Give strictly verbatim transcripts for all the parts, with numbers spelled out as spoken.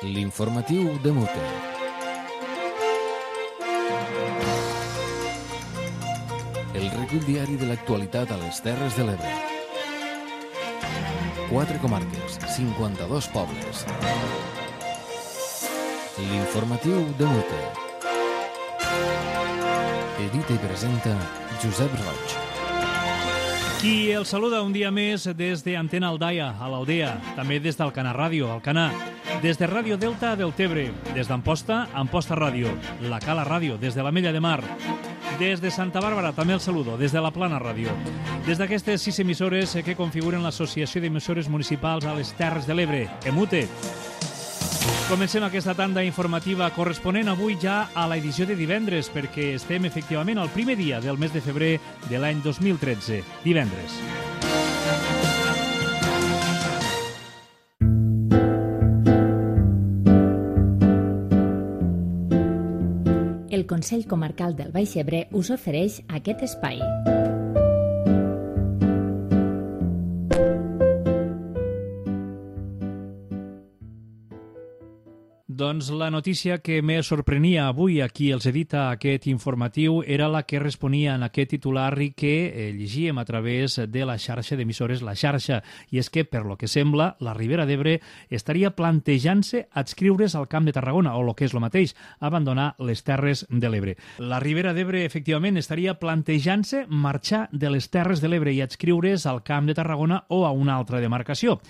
L'informatiu de Mute. El recull diari de l'actualitat a les Terres de l'Ebre. Quatre comarques, cinquanta-dos pobles. L'informatiu de Mute. Edita i presenta Josep Roig. Qui el saluda un dia més des d'Antena Aldaia, a l'Aldea, també des d'Alcanar Ràdio, Alcanar, des de Ràdio Delta del Tebre, des d'Amposta, Amposta Ràdio, la Cala Ràdio, des de l'Ametlla de Mar, des de Santa Bàrbara, també el saludo, des de la Plana Ràdio, des d'aquestes sis emissores que configuren l'Associació d'Emissores Municipals a les Terres de l'Ebre, EMUTE. Comencem aquesta tanda informativa corresponent avui ja a l'edició de divendres, perquè estem efectivament al primer dia del mes de febrer de l'any dos mil tretze, divendres. El Consell Comarcal del Baix Ebre us ofereix aquest espai. Doncs la notícia que més sorprenia avui a qui els edita aquest informatiu era la que responia en aquest titular i que eh, llegíem a través de la xarxa d'emissores La Xarxa. I és que, per lo que sembla, la Ribera d'Ebre estaria plantejant-se adscriure's al Camp de Tarragona, o el que és el mateix, abandonar les Terres de l'Ebre. La Ribera d'Ebre, efectivament, estaria plantejant-se marxar de les Terres de l'Ebre i adscriure's al Camp de Tarragona o a una altra demarcació.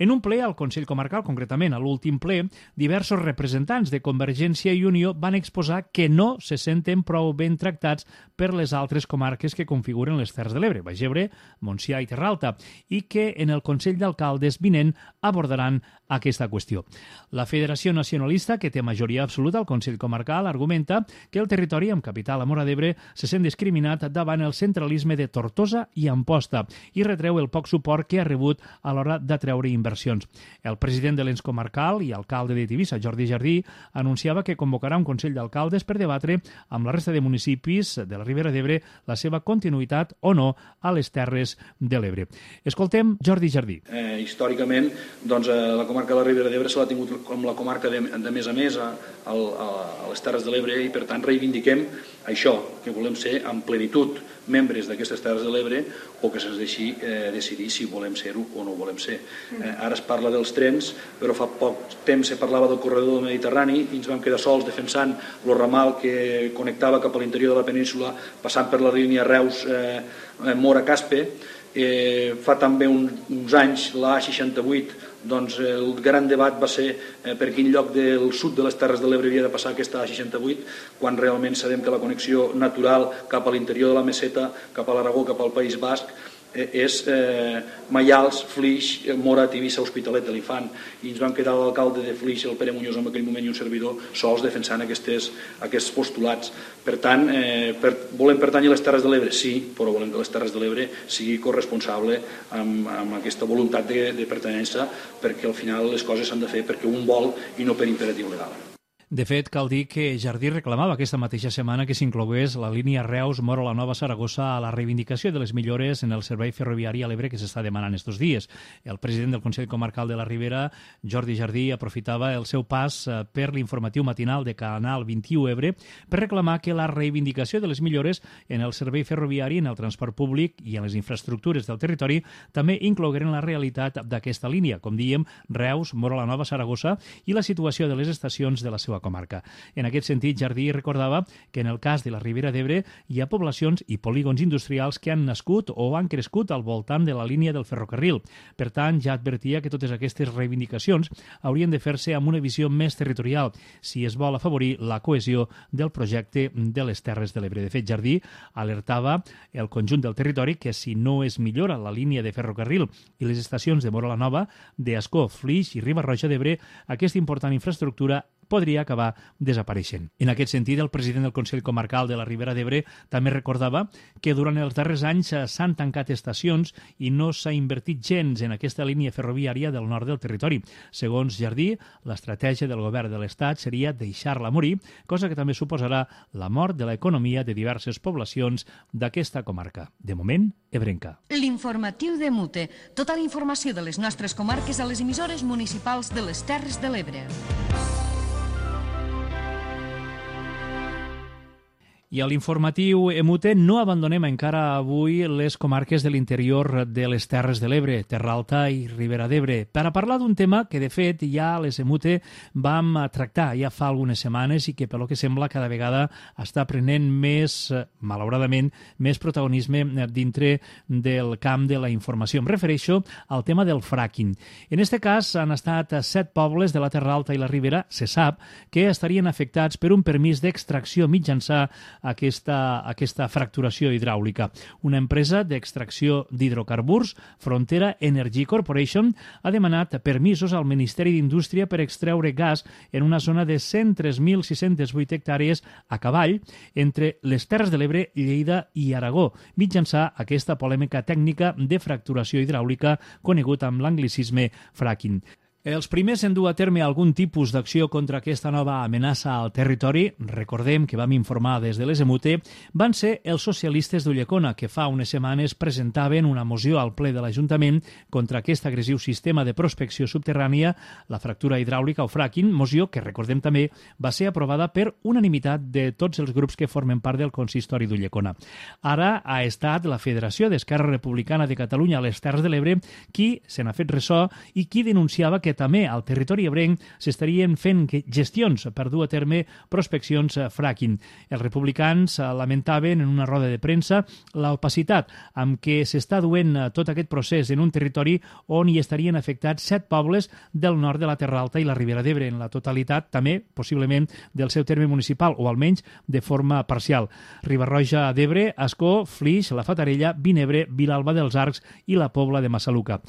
En un ple al Consell Comarcal, concretament a l'últim ple, diversos representants de Convergència i Unió van exposar que no se senten prou ben tractats per les altres comarques que configuren les Terres de l'Ebre, Baix Ebre, Montsià i Terra Alta, i que en el Consell d'Alcaldes vinent abordaran aquesta qüestió. La Federació Nacionalista, que té majoria absoluta al Consell Comarcal, argumenta que el territori amb capital a Móra d'Ebre se sent discriminat davant el centralisme de Tortosa i Amposta i retreu el poc suport que ha rebut a l'hora d'atreure inversions. El president de l'ens comarcal i alcalde de Tivissa, Jordi Jardí, anunciava que convocarà un Consell d'Alcaldes per debatre amb la resta de municipis de la Ribera d'Ebre la seva continuïtat o no a les Terres de l'Ebre. Escoltem Jordi Jardí. Eh, històricament, doncs, eh, la comarca de la Ribera d'Ebre se l'ha tingut com la comarca de, de més a més a, a, a les Terres de l'Ebre i, per tant, reivindiquem això, que volem ser en plenitud membres d'aquestes Terres de l'Ebre o que se'ns deixi eh, decidir si volem ser-ho o no volem ser. Eh, ara es parla dels trens, però fa poc temps se parlava del corredor del Mediterrani i ens vam quedar sols defensant el ramal que connectava cap a l'interior de la península passant per la línia Reus-Mora-Caspe. Eh, fa també un, uns anys la A seixanta vuit, doncs el gran debat va ser eh, per quin lloc del sud de les Terres de l'Ebre havia de passar aquesta A seixanta vuit, quan realment sabem que la connexió natural cap a l'interior de la Meseta, cap a l'Aragó, cap al País Basc, eh, és eh, Maials, Flix, Mora, Tivissa, Hospitalet de l'Infant, i ens vam quedar l'alcalde de Flix, el Pere Muñoz, en aquell moment, i un servidor sols defensant aquestes, aquests postulats. Per tant, eh, per, volem pertànyer a les Terres de l'Ebre? Sí, però volem que les Terres de l'Ebre sigui corresponsable amb, amb aquesta voluntat de, de pertinença, perquè al final les coses s'han de fer perquè un vol i no per imperatiu legal. De fet, cal dir que Jardí reclamava aquesta mateixa setmana que s'inclogués la línia Reus-Mora-la-Nova-Saragossa a la reivindicació de les millores en el servei ferroviari a l'Ebre que s'està demanant estos dies. El president del Consell Comarcal de la Ribera, Jordi Jardí, aprofitava el seu pas per l'informatiu matinal de Canal vint-i-u Ebre per reclamar que la reivindicació de les millores en el servei ferroviari, en el transport públic i en les infraestructures del territori també inclogueren la realitat d'aquesta línia, com dèiem, Reus-Mora-la-Nova-Saragossa i la situació de les estacions de la seva comarca. En aquest sentit, Jardí recordava que en el cas de la Ribera d'Ebre hi ha poblacions i polígons industrials que han nascut o han crescut al voltant de la línia del ferrocarril. Per tant, ja advertia que totes aquestes reivindicacions haurien de fer-se amb una visió més territorial si es vol afavorir la cohesió del projecte de les Terres de l'Ebre. De fet, Jardí alertava el conjunt del territori que si no es millora la línia de ferrocarril i les estacions de Móra la Nova, d'Ascó, Flix i Riba-roja d'Ebre, aquesta important infraestructura podria acabar desapareixent. En aquest sentit, el president del Consell Comarcal de la Ribera d'Ebre també recordava que durant els darrers anys s'han tancat estacions i no s'ha invertit gens en aquesta línia ferroviària del nord del territori. Segons Jardí, l'estratègia del govern de l'Estat seria deixar-la morir, cosa que també suposarà la mort de l'economia de diverses poblacions d'aquesta comarca. De moment, ebrenca. L'informatiu de Mute. Tota la informació de les nostres comarques a les emissores municipals de les Terres de l'Ebre. I a l'informatiu Emute no abandonem encara avui les comarques de l'interior de les Terres de l'Ebre, Terra Alta i Ribera d'Ebre, per a parlar d'un tema que, de fet, ja a les Emute vam tractar ja fa algunes setmanes i que, pel que sembla, cada vegada està prenent més, malauradament, més protagonisme dintre del camp de la informació. Em refereixo al tema del fracking. En aquest cas, han estat set pobles de la Terra Alta i la Ribera, se sap, que estarien afectats per un permís d'extracció mitjançant Aquesta, aquesta fracturació hidràulica. Una empresa d'extracció d'hidrocarburs, Frontera Energy Corporation, ha demanat permisos al Ministeri d'Indústria per extreure gas en una zona de cent tres mil sis-cents vuit hectàrees a cavall entre les Terres de l'Ebre, Lleida i Aragó, mitjançant aquesta polèmica tècnica de fracturació hidràulica conegut amb l'anglicisme fracking. Els primers en dur a terme algun tipus d'acció contra aquesta nova amenaça al territori, recordem que vam informar des de les Emute, van ser els socialistes d'Ulldecona, que fa unes setmanes presentaven una moció al ple de l'Ajuntament contra aquest agressiu sistema de prospecció subterrània, la fractura hidràulica o fracking, moció que, recordem també, va ser aprovada per unanimitat de tots els grups que formen part del consistori d'Ulldecona. Ara ha estat la Federació d'Esquerra Republicana de Catalunya a les Terres de l'Ebre qui se n'ha fet ressò i qui denunciava que també al territori ebrenc s'estarien fent gestions per dur a terme prospeccions fracking. Els republicans lamentaven en una roda de premsa l'opacitat amb què s'està duent tot aquest procés en un territori on hi estarien afectats set pobles del nord de la Terra Alta i la Ribera d'Ebre, en la totalitat també, possiblement, del seu terme municipal, o almenys de forma parcial. Riba-roja d'Ebre, Ascó, Flix, la Fatarella, Vinebre, Vilalba dels Arcs i la Pobla de Massaluca.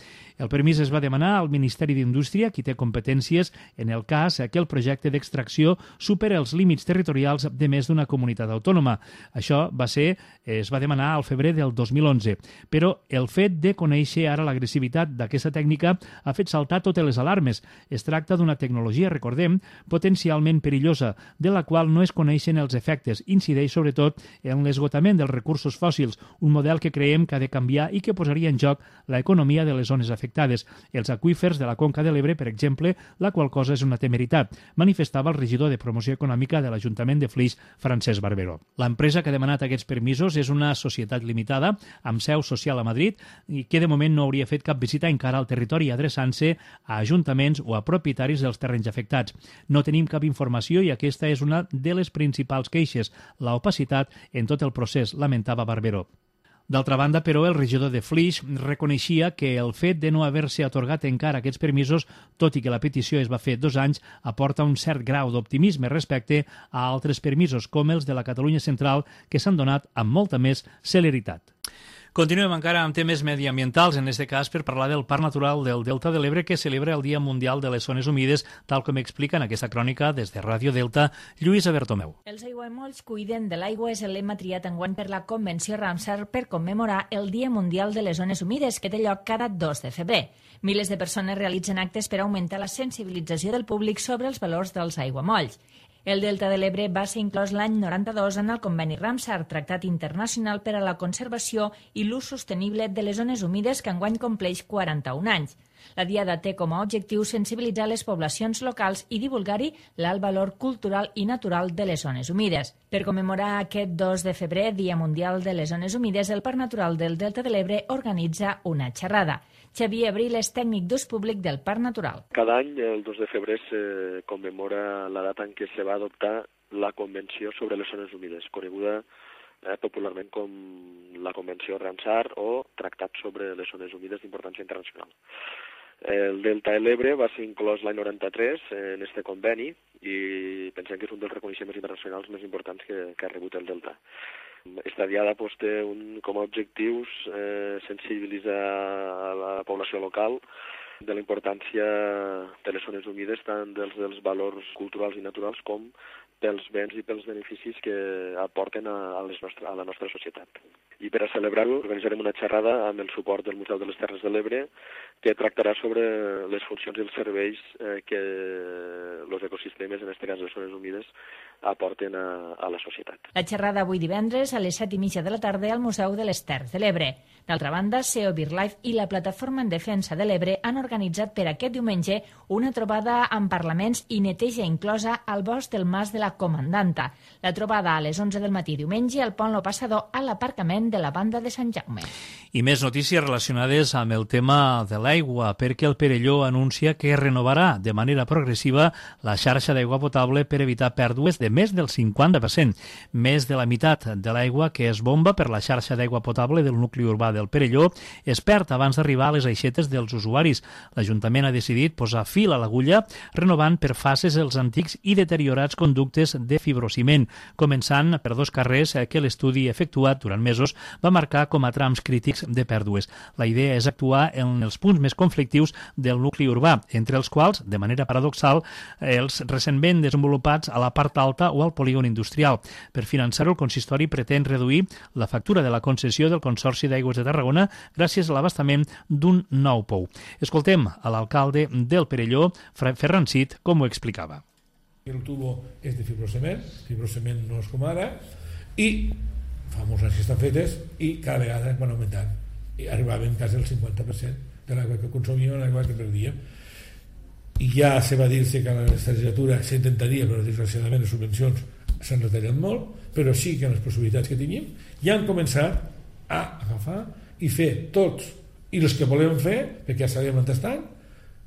El permís es va demanar al Ministeri d'Indústria, qui té competències en el cas que el projecte d'extracció supera els límits territorials de més d'una comunitat autònoma. Això va ser, es va demanar al febrer del dos mil onze, però el fet de conèixer ara l'agressivitat d'aquesta tècnica ha fet saltar totes les alarmes. Es tracta d'una tecnologia, recordem, potencialment perillosa, de la qual no es coneixen els efectes. Incideix sobretot en l'esgotament dels recursos fòssils, un model que creiem que ha de canviar i que posaria en joc l'economia de les zones afectades, els aqüífers de la Conca de l'Ebre, per exemple, la qual cosa és una temeritat, manifestava el regidor de Promoció Econòmica de l'Ajuntament de Flix, Francesc Barberó. L'empresa que ha demanat aquests permisos és una societat limitada, amb seu social a Madrid, i que de moment no hauria fet cap visita encara al territori adreçant-se a ajuntaments o a propietaris dels terrenys afectats. No tenim cap informació i aquesta és una de les principals queixes, la opacitat en tot el procés, lamentava Barberó. D'altra banda, però, el regidor de Flix reconeixia que el fet de no haver-se atorgat encara aquests permisos, tot i que la petició es va fer dos anys, aporta un cert grau d'optimisme respecte a altres permisos, com els de la Catalunya Central, que s'han donat amb molta més celeritat. Continuem encara amb temes mediambientals, en aquest cas per parlar del Parc Natural del Delta de l'Ebre, que celebra el Dia Mundial de les Zones Humides, tal com explica en aquesta crònica des de Ràdio Delta, Lluïsa Bertomeu. Els aiguamolls cuiden de l'aigua és el lema triat enguany per la Convenció Ramsar per commemorar el Dia Mundial de les Zones Humides, que té lloc cada dos de febrer. Milers de persones realitzen actes per augmentar la sensibilització del públic sobre els valors dels aiguamolls. El Delta de l'Ebre va ser inclòs l'any noranta-dos en el conveni Ramsar, Tractat Internacional per a la Conservació i l'Ús Sostenible de les Zones Humides, que enguany compleix quaranta-un anys. La Diada té com a objectiu sensibilitzar les poblacions locals i divulgar-hi l'alt valor cultural i natural de les zones humides. Per commemorar aquest dos de febrer, Dia Mundial de les Zones Humides, el Parc Natural del Delta de l'Ebre organitza una xerrada. Xavier Abril és tècnic d'ús públic del Parc Natural. Cada any, el dos de febrer, se commemora la data en què se va adoptar la Convenció sobre les Zones Humides, coneguda eh, popularment com la Convenció Ramsar o Tractat sobre les Zones Humides d'importància internacional. El Delta de l'Ebre va ser inclòs l'any noranta-tres en este conveni i pensem que és un dels reconeixements internacionals més importants que, que ha rebut el Delta. Esta diada pues, té un, com a objectius eh, sensibilitzar a la població local de la importància de les zones humides, tant dels, dels valors culturals i naturals com pels béns i pels beneficis que aporten a, a, les nostre, a la nostra societat. I per a celebrar-ho organitzarem una xerrada amb el suport del Museu de les Terres de l'Ebre que tractarà sobre les funcions i els serveis eh, que els ecosistemes, en aquest cas les zones humides, aporten a, a la societat. La xerrada avui divendres a les set i mitja de la tarda al Museu de les Terres de l'Ebre. D'altra banda, S E O BirdLife i la Plataforma en Defensa de l'Ebre han organitzat per aquest diumenge una trobada amb parlaments i neteja inclosa al bosc del Mas de la Comandanta. La trobada a les onze del matí diumenge al Pont Lo Passador a l'aparcament de la Banda de Sant Jaume. I més notícies relacionades amb el tema de l'aigua, perquè el Perelló anuncia que renovarà de manera progressiva la xarxa d'aigua potable per evitar pèrdues de més del cinquanta per cent. Més de la meitat de l'aigua que es bomba per la xarxa d'aigua potable del nucli urbà del Perelló es perd abans d'arribar a les aixetes dels usuaris. L'Ajuntament ha decidit posar fil a l'agulla renovant per fases els antics i deteriorats conductes de fibrociment, començant per dos carrers que l'estudi efectuat durant mesos va marcar com a trams crítics de pèrdues. La idea és actuar en els punts més conflictius del nucli urbà, entre els quals, de manera paradoxal, els recentment desenvolupats a la part alta o al polígon industrial. Per finançar-ho, el consistori pretén reduir la factura de la concessió del Consorci d'Aigües de Tarragona gràcies a l'abastament d'un nou pou. Escoltem a l'alcalde del Perelló, Ferran Cid, com ho explicava. El tubo és de fibrocement, fibrocement no és com ara, i fa molts anys que estan fetes i cada vegada van augmentant. I arribàvem quasi al cinquanta per cent de l'aigua que consumíem, l'aigua que perdíem. I ja se va dir-se que a la legislatura s'intentaria, però desgraciadament les subvencions s'han retallat molt, però sí que en les possibilitats que teníem ja han començat a agafar i fer tots i els que volem fer, perquè ja sabíem on estan,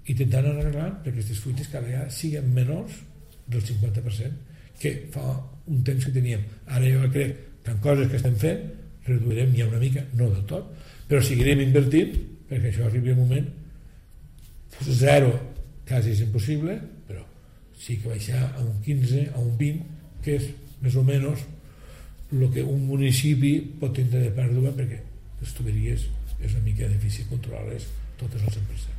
intentant arreglar perquè aquestes fuites cada vegada siguin menors del cinquanta per cent que fa un temps que teníem. Ara jo crec que en coses que estem fent reduirem ja una mica, no del tot, però seguirem invertint perquè això arribi un moment zero, quasi és impossible, però sí que baixar a un quinze, a un vint, que és més o menys el que un municipi pot tindre de pèrdua, perquè les tuberies és una mica difícil controlar-les totes al cent per cent.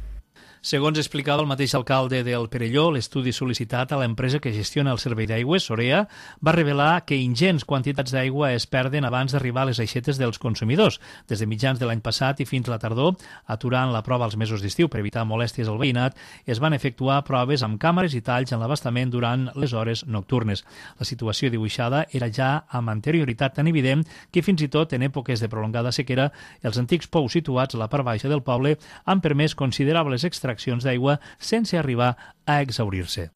Segons explicava el mateix alcalde del Perelló, l'estudi sol·licitat a l'empresa que gestiona el servei d'aigües, Sorea, va revelar que ingents quantitats d'aigua es perden abans d'arribar a les aixetes dels consumidors. Des de mitjans de l'any passat i fins a la tardor, aturant la prova als mesos d'estiu per evitar molèsties al veïnat, es van efectuar proves amb càmeres i talls en l'abastament durant les hores nocturnes. La situació dibuixada era ja amb anterioritat tan evident que fins i tot en èpoques de prolongada sequera, els antics pous situats a la part baixa del poble han permès considerables extraccions d'aigua sense arribar a exhaurir-se.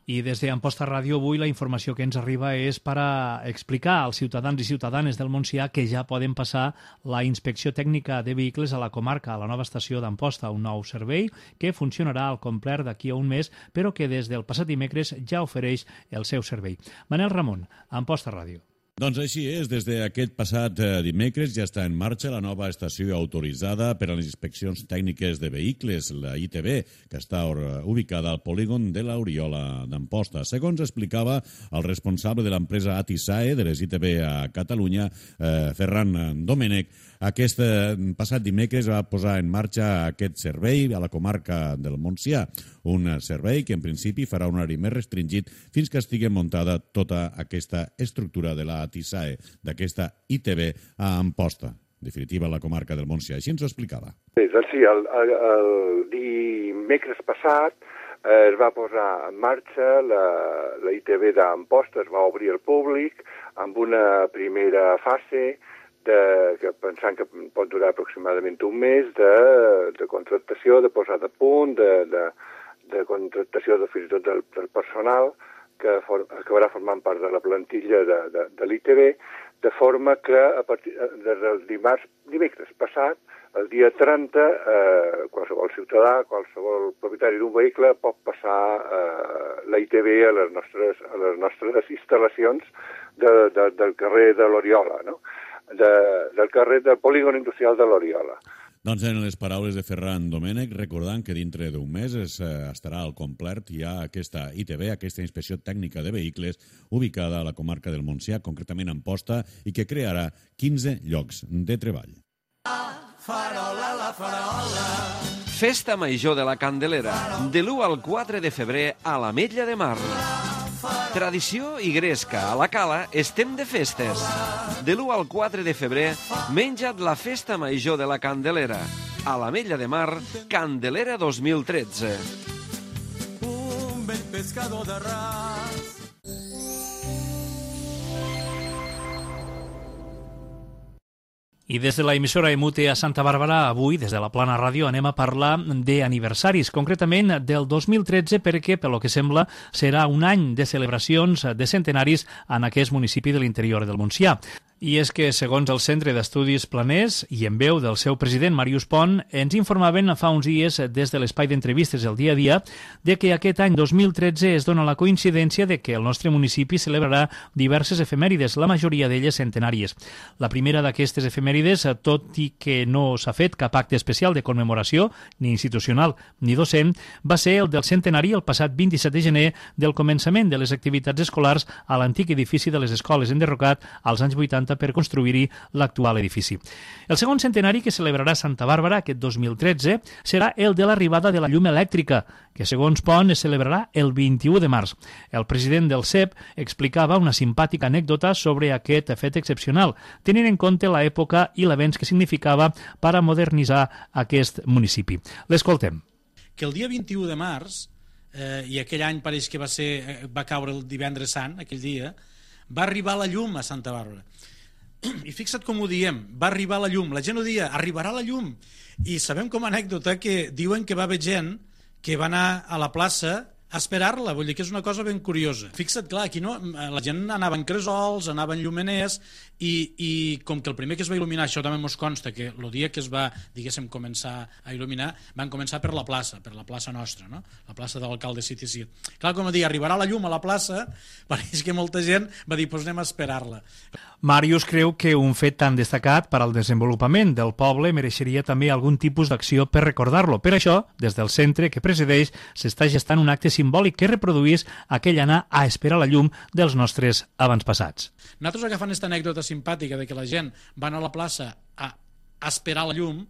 I des d'Amposta Ràdio avui la informació que ens arriba és per a explicar als ciutadans i ciutadanes del Montsià que ja poden passar la inspecció tècnica de vehicles a la comarca, a la nova estació d'Amposta, un nou servei que funcionarà al complet d'aquí a un mes, però que des del passat dimecres ja ofereix el seu servei. Manel Ramon, Amposta Ràdio. Doncs així és, des d'aquest passat dimecres ja està en marxa la nova estació autoritzada per a les inspeccions tècniques de vehicles, la I T V, que està ubicada al polígon de l'Oriola d'Amposta. Segons explicava el responsable de l'empresa Atisae de les I T V a Catalunya, eh, Ferran Domènech, aquest passat dimecres va posar en marxa aquest servei a la comarca del Montsià, un servei que en principi farà un horari més restringit fins que estigui muntada tota aquesta estructura de la Atisae, d'aquesta I T V a Amposta, en definitiva la comarca del Montsià. Així ens ho explicava. Sí, doncs sí, el, el, el dimecres passat eh, es va posar en marxa la, la I T V d'Amposta, es va obrir al públic amb una primera fase de, que pensant que pot durar aproximadament un mes, de, de contractació, de posada a punt, de, de, de contractació de fins i tot del, del personal que for, acabarà formant part de la plantilla de, de, de l'I T V, de forma que a partir des del dimarts, dimecres passat, el dia trenta, eh, qualsevol ciutadà, qualsevol propietari d'un vehicle pot passar eh, la I T V a les nostres, a les nostres instal·lacions de, de, del carrer de l'Oriola, no? de, del carrer del polígon industrial de l'Oriola. Doncs en les paraules de Ferran Domènech, recordant que dintre d'un mes es, eh, estarà al complet ja aquesta I T V, aquesta inspecció tècnica de vehicles, ubicada a la comarca del Montsià, concretament a Amposta, i que crearà quinze llocs de treball. farola, la farola. Festa Major de la Candelera, de l'u al quatre de febrer a l'Ametlla de Mar. Tradició i gresca, a la Cala estem de festes. De l'u al quatre de febrer, menja't la Festa Major de la Candelera. A l'Ametlla de Mar, Candelera dos mil tretze. Un vell pescador de ras. I des de la emissora Emute a Santa Bàrbara, avui, des de la Plana Ràdio, anem a parlar d'aniversaris, concretament del dos mil tretze, perquè, pel que sembla, serà un any de celebracions de centenaris en aquest municipi de l'interior del Montsià. I és que, segons el Centre d'Estudis Planers, i en veu del seu president, Màrius Pont, ens informaven fa uns dies des de l'espai d'entrevistes el dia a dia de que aquest any dos mil tretze es dona la coincidència de que el nostre municipi celebrarà diverses efemèrides, la majoria d'elles centenàries. La primera d'aquestes efemèrides, tot i que no s'ha fet cap acte especial de commemoració, ni institucional ni docent, va ser el del centenari el passat vint-i-set de gener del començament de les activitats escolars a l'antic edifici de les escoles enderrocat als anys vuitanta per construir-hi l'actual edifici. El segon centenari que celebrarà Santa Bàrbara aquest dos mil tretze serà el de l'arribada de la llum elèctrica, que segons Pont es celebrarà el vint-i-u de març. El president del C E P explicava una simpàtica anècdota sobre aquest fet excepcional, tenint en compte l'època i l'avenç que significava per a modernitzar aquest municipi. L'escoltem. Que el dia vint-i-u de març, eh, i aquell any pareix que va, ser, va caure el divendres sant, aquell dia, va arribar la llum a Santa Bàrbara. I fixa't com ho diem, va arribar la llum. La gent ho dia, arribarà la llum. I sabem com a anècdota que diuen que va haver gent que va anar a la plaça a esperar-la, vull dir que és una cosa ben curiosa. Fixa't, clar, aquí no, la gent anava en cresols, anava en llumeners, i, i com que el primer que es va il·luminar, això també ens consta, que el dia que es va, diguéssim, començar a il·luminar, van començar per la plaça, per la plaça nostra, no? La plaça de l'alcalde City Cid. Clar, com a dir, arribarà la llum a la plaça, pareix que molta gent va dir, doncs anem a esperar-la. Màrius creu que un fet tan destacat per al desenvolupament del poble mereixeria també algun tipus d'acció per recordar-lo. Per això, des del centre que presideix, s'està gestant un acte simbòlic que reproduís aquell anar a esperar la llum dels nostres avantpassats. Nosaltres, agafant aquesta anècdota simpàtica de que la gent va anar a la plaça a, a esperar la llum,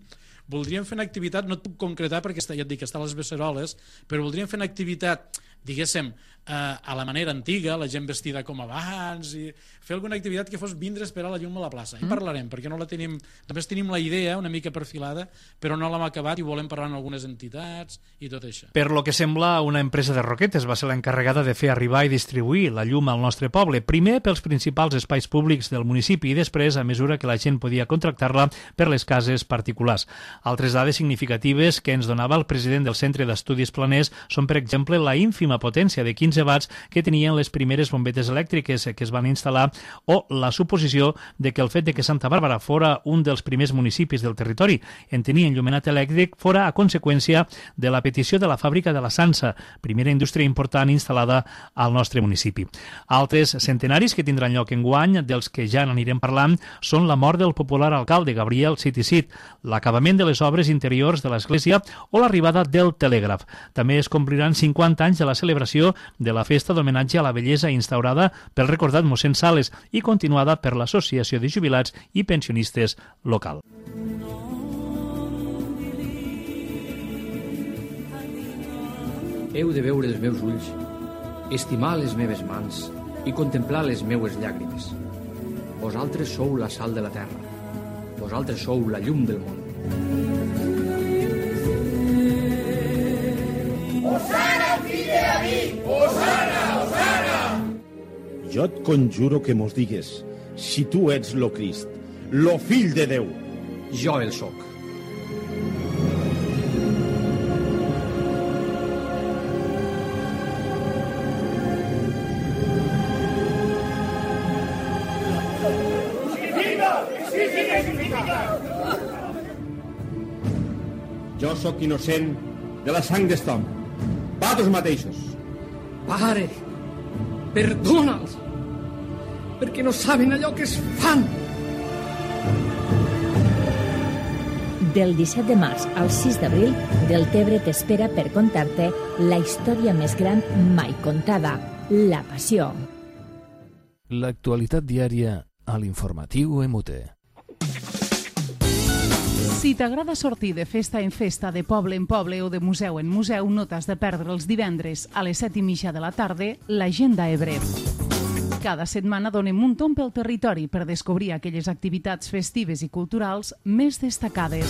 voldríem fer una activitat, no et puc concretar perquè està, ja et dic que està a les Beceroles, però voldríem fer una activitat, diguéssim, eh, a la manera antiga, la gent vestida com abans, i fer alguna activitat que fos vindre a esperar la llum a la plaça. I parlarem, perquè no la tenim, només tenim la idea una mica perfilada, però no l'hem acabat i volem parlar amb algunes entitats i tot això. Per lo que sembla, una empresa de roquetes va ser l'encarregada de fer arribar i distribuir la llum al nostre poble, primer pels principals espais públics del municipi i després, a mesura que la gent podia contractar-la, per les cases particulars. Altres dades significatives que ens donava el president del Centre d'Estudis Planers són, per exemple, la ínfima potència de quinze watts que tenien les primeres bombetes elèctriques que es van instal·lar o la suposició de que el fet de que Santa Bàrbara fora un dels primers municipis del territori en tenir enllumenat elèctric fora a conseqüència de la petició de la fàbrica de la Sansa, primera indústria important instal·lada al nostre municipi. Altres centenaris que tindran lloc enguany, dels que ja n'anirem parlant, són la mort del popular alcalde Gabriel City Cid, l'acabament de les obres interiors de l'església o l'arribada del telègraf. També es compliran cinquanta anys de la celebració de la festa d'homenatge a la bellesa instaurada pel recordat mossèn Sales i continuada per l'Associació de Jubilats i Pensionistes local. Heu de veure els meus ulls, estimar les meves mans i contemplar les meues llàgrimes. Vosaltres sou la sal de la terra. Vosaltres sou la llum del món. Osana, fill de David! Osana, Osana! Jo et conjuro que mos digues si tu ets lo Crist, lo fill de Déu. Jo el soc. Jo sóc innocent de la sang d'este home. Vosaltres mateixos. Pare, perdona'ls, perquè no saben allò que es fan. Del disset de març al sis d'abril, Deltebre t'espera per contar-te la història més gran mai contada, la Passió. L'actualitat diària a l'informatiu Emute. Si t'agrada sortir de festa en festa, de poble en poble o de museu en museu, no t'has de perdre els divendres a les set i mitja de la tarda l'Agenda Ebre. Cada setmana donem un tomb pel territori per descobrir aquelles activitats festives i culturals més destacades.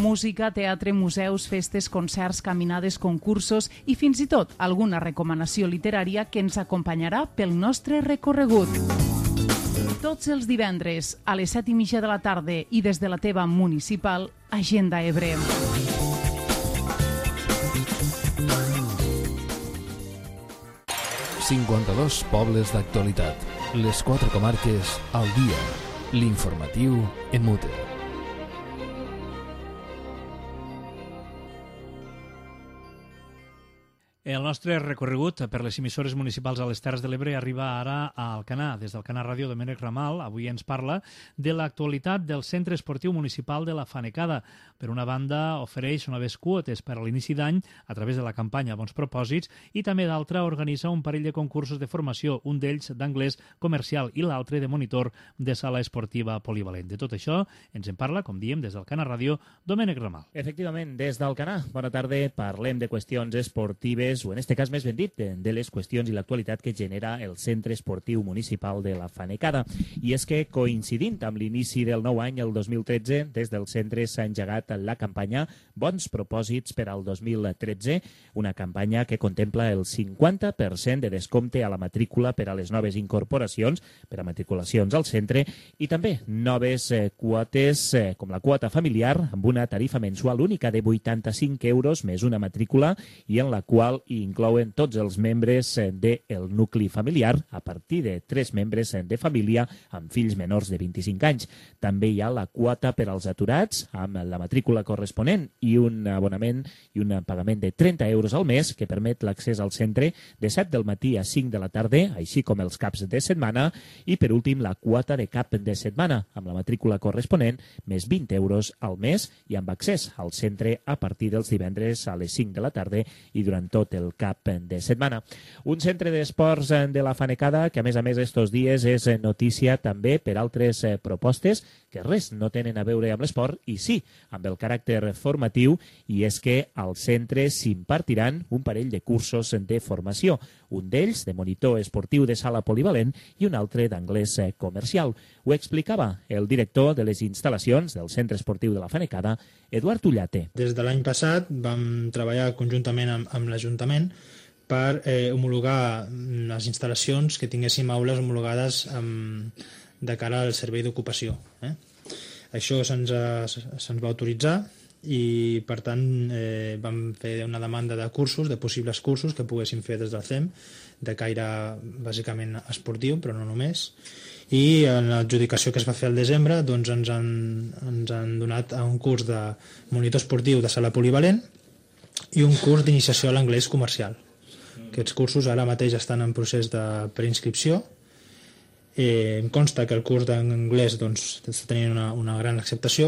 Música, teatre, museus, festes, concerts, caminades, concursos i fins i tot alguna recomanació literària que ens acompanyarà pel nostre recorregut. Tots els divendres a les set i mitja de la tarda i des de la teva municipal, Agenda Ebre. cinquanta-dos pobles d'actualitat. Les quatre comarques al dia. L'informatiu en Mute. El nostre recorregut per les emissores municipals a les Terres de l'Ebre arriba ara a Alcanar. Des d'Alcanar Ràdio, Domènec Ramal avui ens parla de l'actualitat del Centre Esportiu Municipal de la Fanecada. Per una banda, ofereix noves quotes per a l'inici d'any a través de la campanya Bons Propòsits i també d'altra organitza un parell de concursos de formació, un d'ells d'anglès comercial i l'altre de monitor de sala esportiva polivalent. De tot això ens en parla, com diem, des d'Alcanar Ràdio, Domènec Ramal. Efectivament, des d'Alcanar. Bona tarda. Parlem de qüestions esportives o en este cas més ben dit, de les qüestions i l'actualitat que genera el Centre Esportiu Municipal de la Fanecada. I és que, coincidint amb l'inici del nou any, el dos mil tretze, des del centre s'ha engegat la campanya Bons Propòsits per al dos mil tretze, una campanya que contempla el cinquanta per cent de descompte a la matrícula per a les noves incorporacions, per a matriculacions al centre, i també noves eh, quotes, eh, com la quota familiar, amb una tarifa mensual única de vuitanta-cinc euros més una matrícula, i en la qual i inclouen tots els membres del nucli familiar, a partir de tres membres de família amb fills menors de vint-i-cinc anys. També hi ha la quota per als aturats, amb la matrícula corresponent i un abonament i un pagament de trenta euros al mes, que permet l'accés al centre de set del matí a cinc de la tarda, així com els caps de setmana, i per últim la quota de cap de setmana, amb la matrícula corresponent, més vint euros al mes i amb accés al centre a partir dels divendres a les cinc de la tarda i durant tot el cap de setmana. Un centre d'esports de la Fanecada que, a més a més, estos dies és notícia també per altres propostes que res no tenen a veure amb l'esport i sí amb el caràcter formatiu, i és que al centre s'impartiran un parell de cursos de formació, un d'ells de monitor esportiu de sala polivalent i un altre d'anglès comercial. Ho explicava el director de les instal·lacions del Centre Esportiu de la Fanecada, Eduard Ullate. Des de l'any passat vam treballar conjuntament amb, amb l'Ajuntament per eh, homologar les instal·lacions, que tinguéssim aules homologades amb, de cara al servei d'ocupació. Eh? Això se'ns se va autoritzar i, per tant, eh, vam fer una demanda de cursos, de possibles cursos que poguéssim fer des del C E M, de caire bàsicament esportiu, però no només. I en l'adjudicació que es va fer al desembre doncs ens, han, ens han donat un curs de monitor esportiu de sala polivalent i un curs d'iniciació a l'anglès comercial. Aquests cursos ara mateix estan en procés de preinscripció. Eh, em consta que el curs d'anglès doncs, està tenint una, una gran acceptació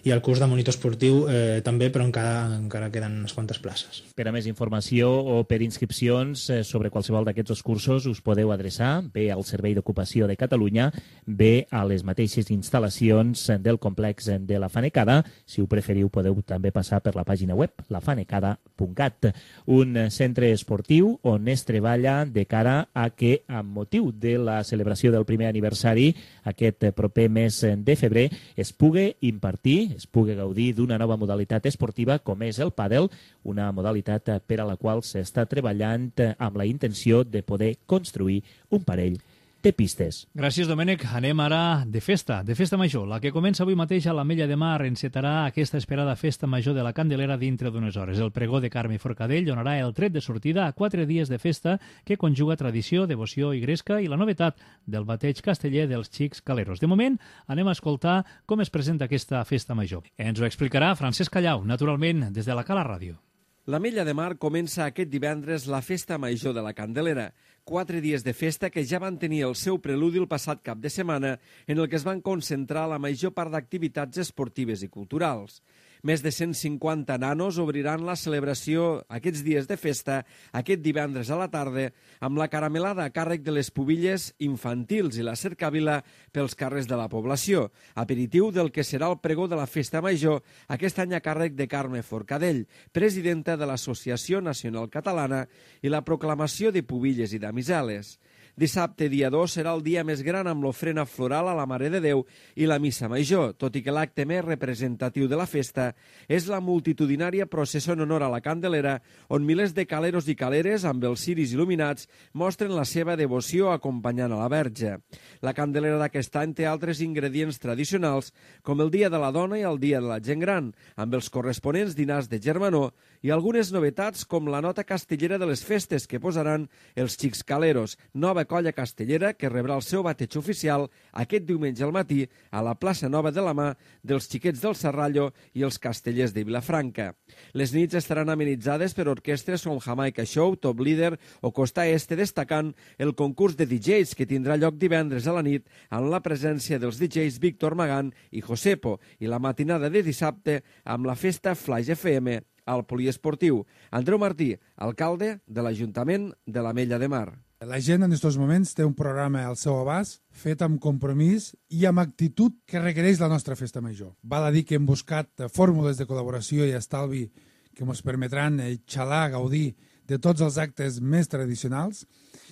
i el curs de monitor esportiu eh, també, però encara, encara queden unes quantes places. Per a més informació o per inscripcions eh, sobre qualsevol d'aquests cursos us podeu adreçar bé al Servei d'Ocupació de Catalunya, bé a les mateixes instal·lacions del complex de la Fanecada. Si ho preferiu podeu també passar per la pàgina web lafanecada punt cat. Un centre esportiu on es treballa de cara a que, amb motiu de la celebració del primer aniversari, aquest proper mes de febrer, es pugui impartir, es pugui gaudir d'una nova modalitat esportiva com és el pàdel, una modalitat per a la qual s'està treballant amb la intenció de poder construir un parell de pistes. Gràcies, Domènec. Anem ara de festa, de festa major. La que comença avui mateix a l'Ametlla de Mar encetarà aquesta esperada festa major de la Candelera dintre d'unes hores. El pregó de Carme Forcadell donarà el tret de sortida a quatre dies de festa que conjuga tradició, devoció i gresca i la novetat del bateig casteller dels xics caleros. De moment, anem a escoltar com es presenta aquesta festa major. Ens ho explicarà Francesc Callau, naturalment, des de la Cala Ràdio. L'Ametlla de Mar comença aquest divendres la Festa Major de la Candelera. Quatre dies de festa que ja van tenir el seu preludi el passat cap de setmana, en el que es van concentrar la major part d'activitats esportives i culturals. Més de cent cinquanta nanos obriran la celebració aquests dies de festa aquest divendres a la tarda amb la caramelada a càrrec de les pubilles infantils i la cercavila pels carrers de la població, aperitiu del que serà el pregó de la Festa Major, aquest any a càrrec de Carme Forcadell, presidenta de l'Associació Nacional Catalana, i la proclamació de pubilles i damiseles. Dissabte, dia dos, serà el dia més gran amb l'ofrena floral a la Mare de Déu i la Missa Major, tot i que l'acte més representatiu de la festa és la multitudinària processó en honor a la Candelera, on milers de caleros i caleres, amb els ciris il·luminats, mostren la seva devoció acompanyant a la Verge. La Candelera d'aquest any té altres ingredients tradicionals, com el Dia de la Dona i el Dia de la Gent Gran, amb els corresponents dinars de germanor, i algunes novetats com la nota castellera de les festes que posaran els Xics Caleros, nova colla castellera que rebrà el seu bateig oficial aquest diumenge al matí a la plaça Nova de la Mà dels Xiquets del Serrallo i els Castellers de Vilafranca. Les nits estaran amenitzades per orquestres com Jamaica Show, Top Leader o Costa Este, destacant el concurs de D Js que tindrà lloc divendres a la nit amb la presència dels D Js Víctor Magán i Josepo, i la matinada de dissabte amb la festa Flaix F M al poliesportiu. Andreu Martí, alcalde de l'Ajuntament de l'Ametlla de Mar. La gent en aquests moments té un programa al seu abast, fet amb compromís i amb actitud que requereix la nostra festa major. Val a dir que hem buscat fórmules de col·laboració i estalvi que ens permetran xalar, gaudir de tots els actes més tradicionals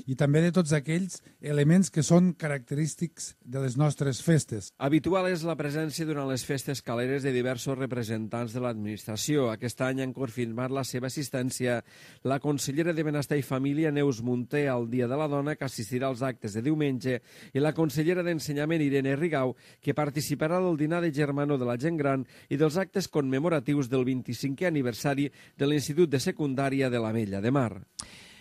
i també de tots aquells elements que són característics de les nostres festes. Habitual és la presència durant les festes caleres de diversos representants de l'administració. Aquest any han confirmat la seva assistència la consellera de Benestar i Família, Neus Munté, al Dia de la Dona, que assistirà als actes de diumenge, i la consellera d'Ensenyament, Irene Rigau, que participarà del dinar de germanor de la gent gran i dels actes commemoratius del vint-i-cinquè aniversari de l'Institut de Secundària de l'Ametlla de Mar.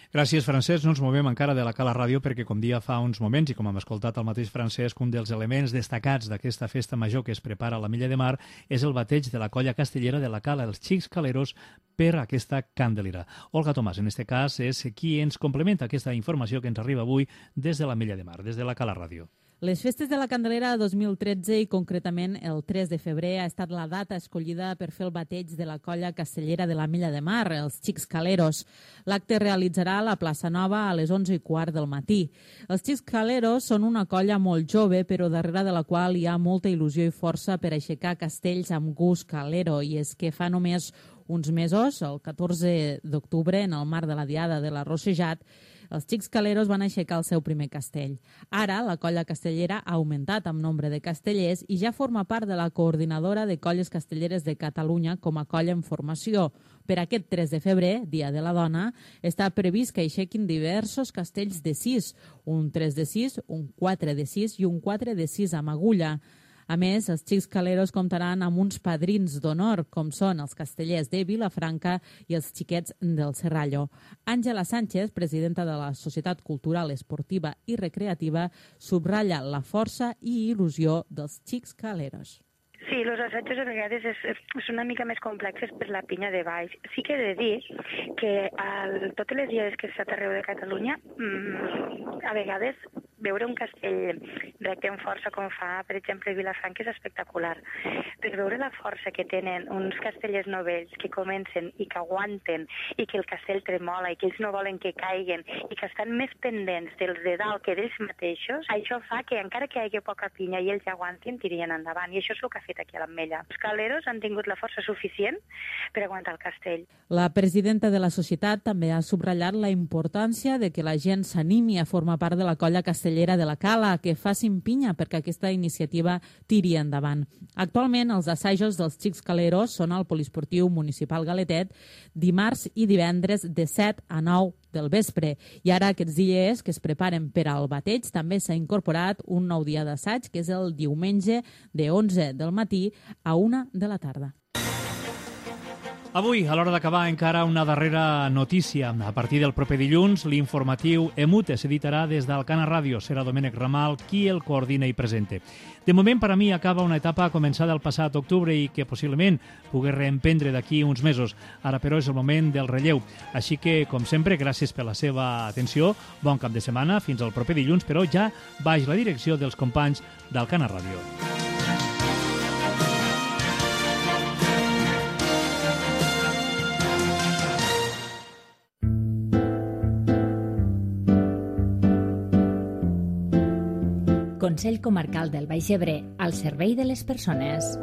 Gràcies, Francesc. No ens movem encara de la Cala Ràdio perquè, com dia fa uns moments, i com hem escoltat el mateix Francesc, un dels elements destacats d'aquesta festa major que es prepara a l'Ametlla de Mar és el bateig de la colla castellera de la Cala, els Xics Caleros, per aquesta Candelera. Olga Tomàs, en aquest cas, és qui ens complementa aquesta informació que ens arriba avui des de l'Ametlla de Mar, des de la Cala Ràdio. Les festes de la Candelera dos mil tretze i concretament el tres de febrer ha estat la data escollida per fer el bateig de la colla castellera de l'Ametlla de Mar, els Xics Caleros. L'acte es realitzarà a la plaça Nova a les onze i quart del matí. Els Xics Caleros són una colla molt jove, però darrere de la qual hi ha molta il·lusió i força per aixecar castells amb gust calero, i és que fa només uns mesos, el catorze d'octubre, en el marc de la Diada de la Rossejat, els Xics Caleros van aixecar el seu primer castell. Ara, la colla castellera ha augmentat amb nombre de castellers i ja forma part de la coordinadora de colles castelleres de Catalunya com a colla en formació. Per aquest tres de febrer, Dia de la Dona, està previst que aixequin diversos castells de sis, un tres de sis, un quatre de sis i un quatre de sis amb agulla. A més, els Xics Caleros comptaran amb uns padrins d'honor, com són els castellers de Vilafranca i els xiquets del Serrallo. Àngela Sánchez, presidenta de la Societat Cultural, Esportiva i Recreativa, subratlla la força i il·lusió dels Xics Caleros. Sí, els assajos a vegades és, és una mica més complexes per la pinya de baix. Sí que he de dir que a totes les diades que he estat arreu de Catalunya, mmm, a vegades veure un castell recte amb força com fa, per exemple, Vilafranca és espectacular. Però veure la força que tenen uns castellers novells que comencen i que aguanten i que el castell tremola i que ells no volen que caiguen i que estan més pendents dels de dalt que d'ells mateixos, això fa que encara que hi hagi poca pinya i ells aguantin, tirien endavant. I això és el que ha fet aquí a l'Ametlla. Els caleros han tingut la força suficient per aguantar el castell. La presidenta de la societat també ha subratllat la importància de que la gent s'animi a formar part de la colla castellera de la Cala, que facin pinya perquè aquesta iniciativa tiri endavant. Actualment, els assajos dels Xics Caleros són al Poliesportiu Municipal Galetet dimarts i divendres de set a nou del vespre. I ara aquests dies que es preparen per al bateig també s'ha incorporat un nou dia d'assaig, que és el diumenge de onze del matí a una de la tarda. Avui, a l'hora d'acabar, encara una darrera notícia. A partir del proper dilluns, l'informatiu Emute s'editarà des d'Alcana Ràdio. Serà Domènec Ramal qui el coordina i presente. De moment, per a mi, acaba una etapa començada el passat octubre i que possiblement pugui reemprendre d'aquí uns mesos. Ara, però, és el moment del relleu. Així que, com sempre, gràcies per la seva atenció. Bon cap de setmana, fins al proper dilluns, però ja baix la direcció dels companys d'Alcana Ràdio. Consell Comarcal del Baix Ebre, al servei de les persones.